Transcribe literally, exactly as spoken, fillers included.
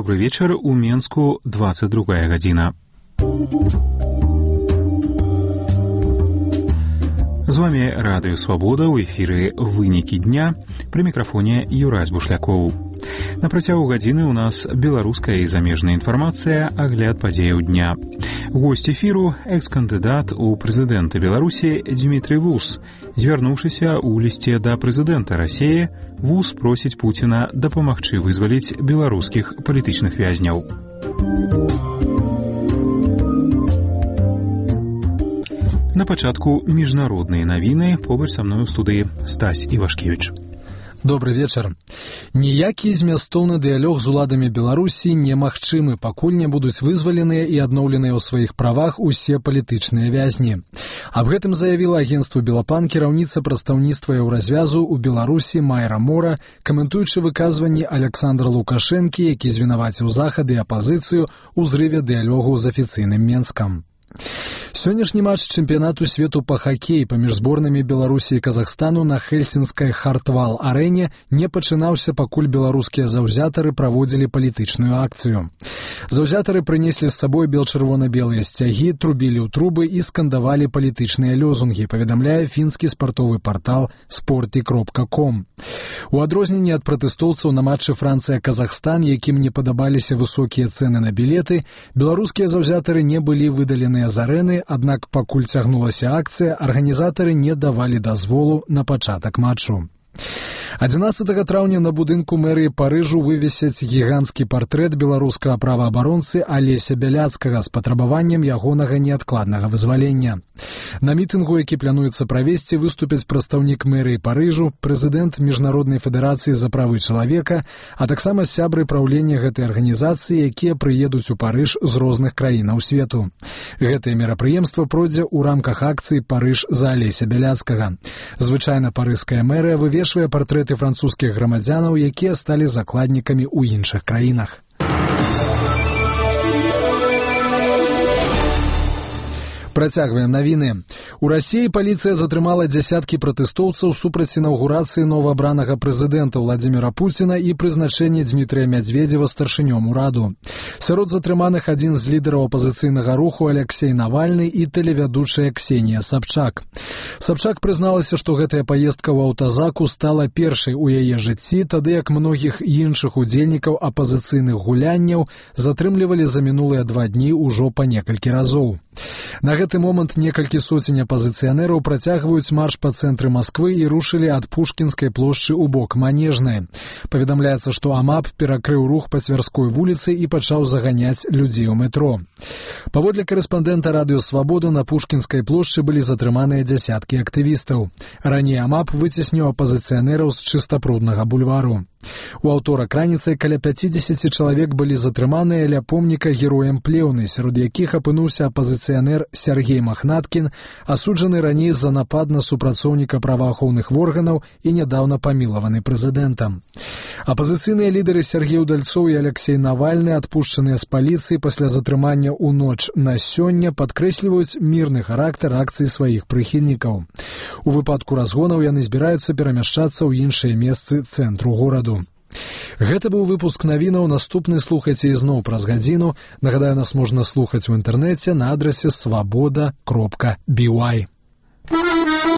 Добрый вечер. У Менску двадцать другая гадзіна. З вами Радыё Свабода, у эфіры «Вынікі дня», пры мікрафоне Юрась Бушлякоў. На працягу гадзіны ў нас беларуская і замежная інфармацыя, агляд падзеяў дня. Госць эфіру – экс-кандыдат у прэзідэнта Беларусі Дмітрый Вус. Звярнуўшыся ў лісце да прэзідэнта Расіі, Вус просіць Пуціна дапамагчы вызваліць беларускіх палітычных вязняў. На пачатку міжнародныя навіны, побач са мной у студыі Стась Івашкевіч. Добрый вечар. Ніякі змястоўны дыялог з уладамі Беларусі немагчымы, пакуль не будуць вызваленыя і адноўленыя ў сваіх правах усе палітычныя вязні. Аб гэтым заявіла агенцтву Белапан кіраўніца прадстаўніцтва Еўразвязу ў Беларусі Майра Мора, каментуючы выказванні Александра Лукашэнкі, які звінаваціў Захад і апазіцыю ў зрыве дыялогу з афіцыйным Менскам. Сённяшні матч чэмпіянату свету па хакеі паміж зборнымі Беларусі і Казахстану на Хельсінскай Хартвал-арэне не пачынаўся, пакуль беларускія заўзятары праводзілі палітычную акцыю. Заўзятары прынеслі з сабой бел-чырвона-белыя сцягі, трубілі ў трубы і скандавалі палітычныя лёзунгі, паведамляе фінскі спартовы партал спорти кропка ком. У адрозненне ад пратэстоўцаў на матчы Францыя-Казахстан, якім не падабаліся высокія цэны на білеты, беларускія заўзятары не былі выдаленыя з арэны, аднак пакуль цягнулася акцыя, арганізатары не давалі дазволу на пачатак матчу. адзінаццатага траўня на будынку мэрыі Парыжу вывесяць гіганцкі партрэт беларускага праваабаронцы Алеся Бяляцкага з патрабаваннем ягонага неадкладнага вызвалення. На мітынгу, які плануецца правесці, выступяць прадстаўнік мэрыі Парыжу, прэзідэнт Міжнароднай федэрацыі за правы чалавека, а таксама сябры праўлення гэтай арганізацыі, якія прыедуць у Парыж з розных краінаў свету. Гэтае мерапрыемства пройдзе ў рамках акцыі «Парыж за Алеся Бяляцкага». Звычайна парыжская мэрыя вывешвае партрэты французскіх грамадзянаў, якія сталі закладнікамі ў іншых краінах. Працягваем навіны. У Расіі паліцыя затрымала дзясяткі пратэстоўцаў супраць інаўгурацыі новаабранага прэзідэнта Владзіміра Пуціна і прызначэння Дмітрыя Мядзведзева старшынём ураду. Сярод затрыманых адзін з лідараў апазіцыйнага руху Алексей Навальны і тэлевядучая Ксенія Сабчак. Сабчак прызналася, што гэтая паездка ў аўтазаку стала першай у яе жыцці, тады як многіх іншых удзельнікаў апазіцыйных гулянняў затрымлівалі за минулыя два дні ўжо па некалькі разоў. На гэты момант некалькі соцень апазіцыянераў працягваюць марш па цэнтры Масквы і рушылі ад Пушкінскай плошчы ў бок Манежнай. Паведамляецца, што АМАП перакрыў рух па Цвярской вуліцы і пачаў заганяць людзей у метро. Паводле карэспандэнта Радыё Свабода, на Пушкінскай плошчы былі затрыманыя дзясяткі актывістаў. Раней АМАП выцесніў апазіцыянераў з чыстапруднага бульвару. У аўторак раніцай каля пяцідзесяці чалавек былі затрыманыя ля помніка героям Плеўны, сярод якіх апынуўся апазіцыянер Сергей Махнаткін, асуджаны раней за напад на супрацоўніка праваахоўных органаў і нядаўна памілаваны прэзідэнтам. Апазіцыйныя лідары Сергей Удальцоў і Алексей Навальны, адпушчаныя з паліцыі пасля затрымання ў ноч на сёння, падкрэсліваюць мірны характар акцыі сваіх прыхільнікаў. У выпадку разгонаў яны збіраюцца перамяшчацца ў іншыя месцы цэнтру гораду. Гэта быў выпуск навінаў, наступны слухайце ізноў праз гадзіну. Нагадаю, нас можна слухаць у інтэрнэце на адрасе свабода кропка би уай.